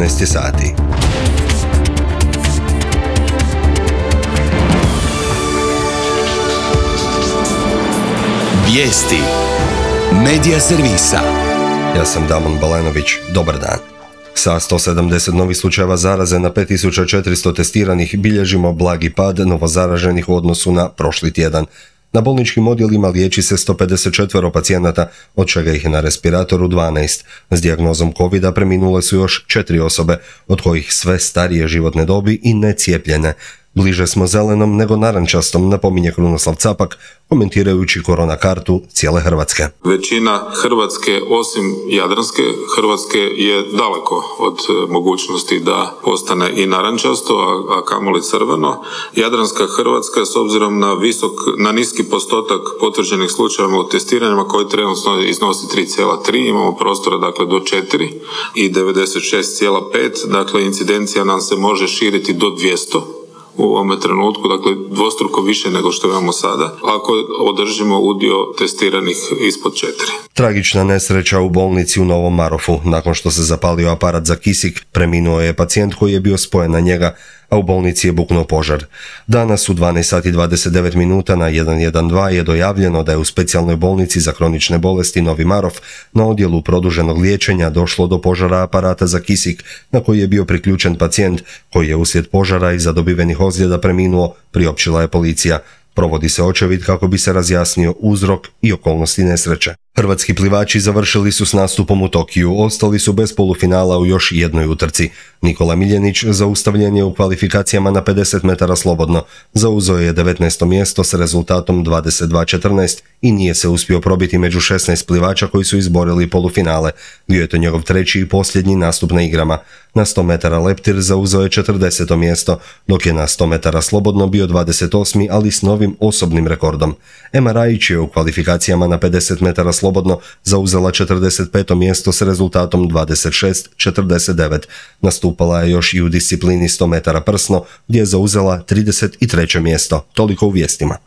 19 sati. Vijesti Medija servisa. Ja sam Damon Balenović, dobar dan. Sa 170 novih slučajeva zaraze na 5400 testiranih bilježimo blagi pad novozaraženih u odnosu na prošli tjedan. Na bolničkim odjelima liječi se 154 pacijenata, od čega ih je na respiratoru 12. S dijagnozom COVID-a preminule su još 4 osobe, od kojih sve starije životne dobi i necijepljene. Bliže smo zelenom nego narančastom, napominje Krunoslav Capak, komentirajući korona kartu cijele Hrvatske. Većina Hrvatske, osim Jadranske Hrvatske, je daleko od mogućnosti da postane i narančasto, a kamoli crveno. Jadranska Hrvatska, s obzirom na niski postotak potvrđenih slučajeva u testiranjima koji trenutno iznosi 3,3, imamo prostora dakle do 4 i 96,5, dakle incidencija nam se može širiti do 200. U ovome trenutku, dakle dvostruko više nego što imamo sada, ako održimo udio testiranih ispod 4. Tragična nesreća u bolnici u Novom Marofu. Nakon što se zapalio aparat za kisik, preminuo je pacijent koji je bio spojen na njega, a u bolnici je buknuo požar. Danas u 12 sati 29 minuta na 112 je dojavljeno da je u specijalnoj bolnici za kronične bolesti Novi Marof na odjelu produženog liječenja došlo do požara aparata za kisik na koji je bio priključen pacijent koji je uslijed požara i zadobivenih ozljeda preminuo, priopćila je policija. Provodi se očevid kako bi se razjasnio uzrok i okolnosti nesreće. Hrvatski plivači završili su s nastupom u Tokiju, ostali su bez polufinala u još jednoj utrci. Nikola Miljenić zaustavljen je u kvalifikacijama na 50 metara slobodno, zauzeo je 19. mjesto s rezultatom 22:14 i nije se uspio probiti među 16 plivača koji su izborili polufinale. Bio je to njegov treći i posljednji nastup na igrama. Na 100 metara leptir zauzeo je 40. mjesto, dok je na 100 metara slobodno bio 28. ali s novim osobnim rekordom. Ema Rajić je u kvalifikacijama na 50 metara slobodno zauzela 45. mjesto s rezultatom 26:49. Nastupala je još i u disciplini 100 metara prsno, gdje je zauzela 33. mjesto. Toliko u vijestima.